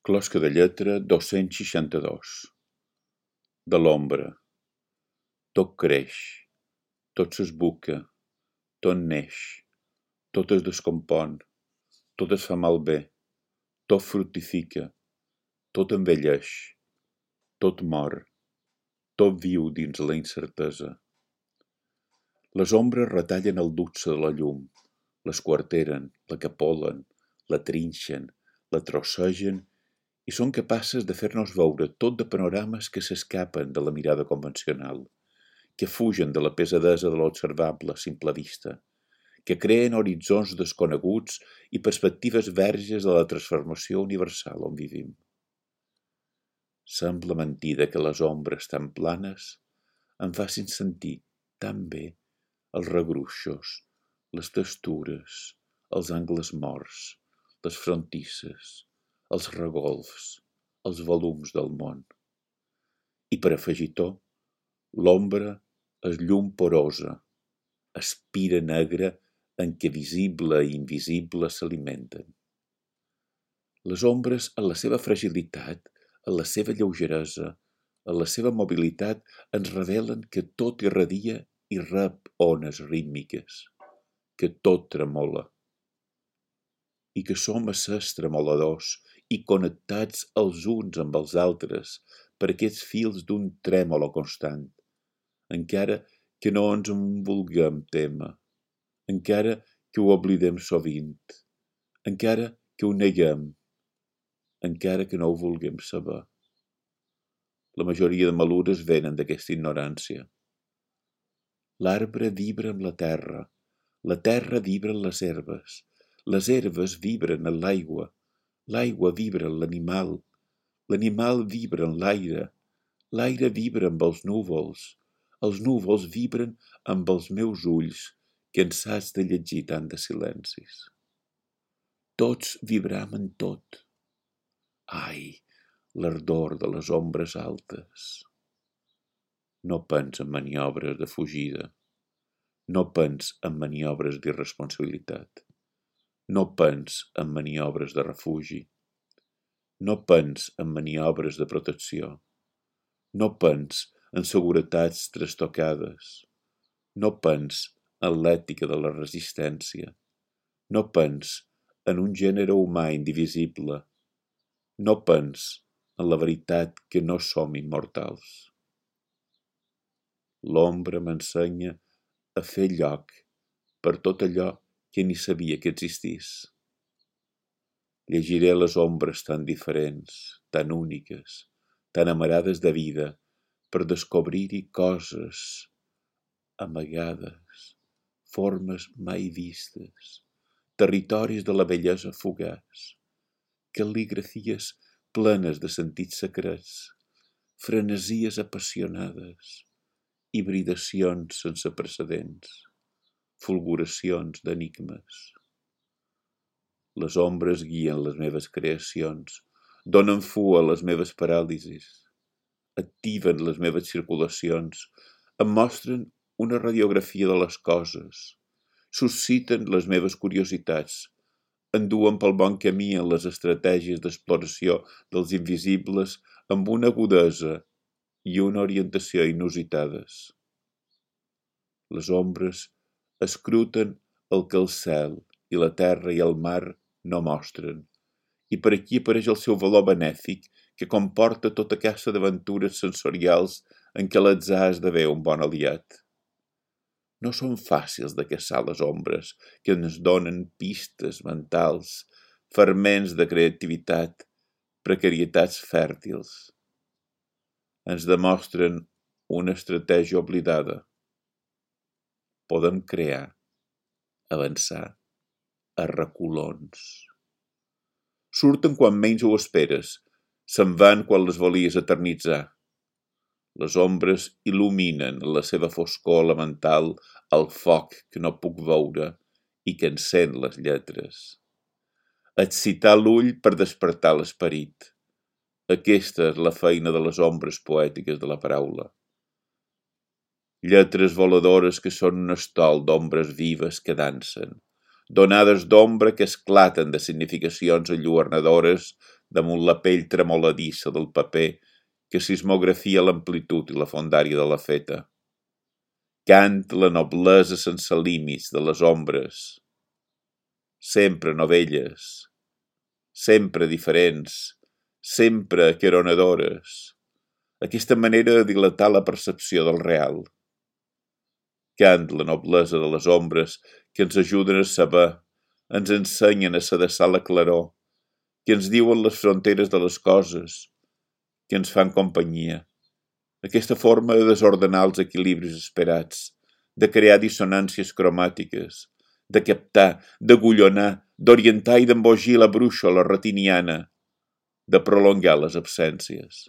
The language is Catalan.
Closca de lletra 262. De l'ombra. Tot creix, tot s'esbuca, tot neix, tot es descompon, tot es fa malbé, tot fructifica, tot envelleix, tot mor, tot viu dins la incertesa. Les ombres retallen el luxe de la llum, l'esquarteren, la capolen, la trinxen, la trossegen i són capaces de fer-nos veure tot de panorames que s'escapen de la mirada convencional, que fugen de la pesadesa de l'observable a simple vista, que creen horitzons desconeguts i perspectives verges de la transformació universal on vivim. Sembla mentida que les ombres tan planes em facin sentir tan bé els regruixos, les textures, els angles morts, les frontisses, els regolfs, els volums del món. I per afegitó, l'ombra és llum porosa, espira negra en què visible i invisible s'alimenten. Les ombres, en la seva fragilitat, en la seva lleugeresa, en la seva mobilitat, ens revelen que tot irradia i rep ones rítmiques, que tot tremola, i que som éssers tremoladors i connectats els uns amb els altres per aquests fils d'un trèmolo constant, encara que no ens en vulguem témer, encara que ho oblidem sovint, encara que ho neguem, encara que no ho vulguem saber. La majoria de malures venen d'aquesta ignorància. L'arbre vibra amb la terra vibra en les herbes vibren en l'aigua vibra en l'animal vibra en l'aire vibra amb els núvols vibren amb els meus ulls, cansats de llegir tant de silencis. Tots vibram en tot. Ai, l'ardor de les ombres altes. No pens en maniobres de fugida, no pens en maniobres d'irresponsabilitat, no pens en maniobres de refugi, no pens en maniobres de protecció, no pens en seguretats trastocades, no pens en l'ètica de la resistència, no pens en un gènere humà indivisible, no pens en la veritat que no som immortals. L'ombra m'ensenya a fer lloc per tot allò que ni sabia que existís. Llegiré les ombres tan diferents, tan úniques, tan amarades de vida, per descobrir-hi coses amagades, formes mai vistes, territoris de la bellesa fugaç, cal·ligrafies plenes de sentits secrets, frenesies apassionades, hibridacions sense precedents, fulguracions d'enigmes. Les ombres guien les meves creacions, donen fua a les meves paràlisis, activen les meves circulacions, em mostren una radiografia de les coses, susciten les meves curiositats, enduen pel bon camí en les estratègies d'exploració dels invisibles amb una agudesa i una orientació inusitades. Les ombres escruten el que el cel i la terra i el mar no mostren, i per aquí apareix el seu valor benèfic que comporta tota aquesta d'aventures sensorials en què l'atzar esdevé un bon aliat. No són fàcils de caçar les ombres que ens donen pistes mentals, ferments de creativitat, precarietats fèrtils. Ens demostren una estratègia oblidada. Podem crear, avançar, a reculons. Surten quan menys ho esperes, se'n van quan les volies eternitzar. Les ombres il·luminen en la seva foscor elemental el foc que no puc veure i que encén les lletres. Excitar l'ull per despertar l'esperit. Aquesta és la feina de les ombres poètiques de la paraula. Lletres voladores que són un estol d'ombres vives que dansen, donades d'ombra que esclaten de significacions enlluernadores damunt la pell tremoladissa del paper que sismografia l'amplitud i la fondària de la feta. Cant la noblesa sense límits de les ombres, sempre novelles, sempre diferents, sempre aqueronadores, aquesta manera de dilatar la percepció del real. Cant la noblesa de les ombres que ens ajuden a saber, ens ensenyen a sedessar la claror, que ens diuen les fronteres de les coses, que ens fan companyia. Aquesta forma de desordenar els equilibris esperats, de crear dissonàncies cromàtiques, de captar, d'agullonar, d'orientar i d'embogir la brúixola retiniana, de prolongar les absències.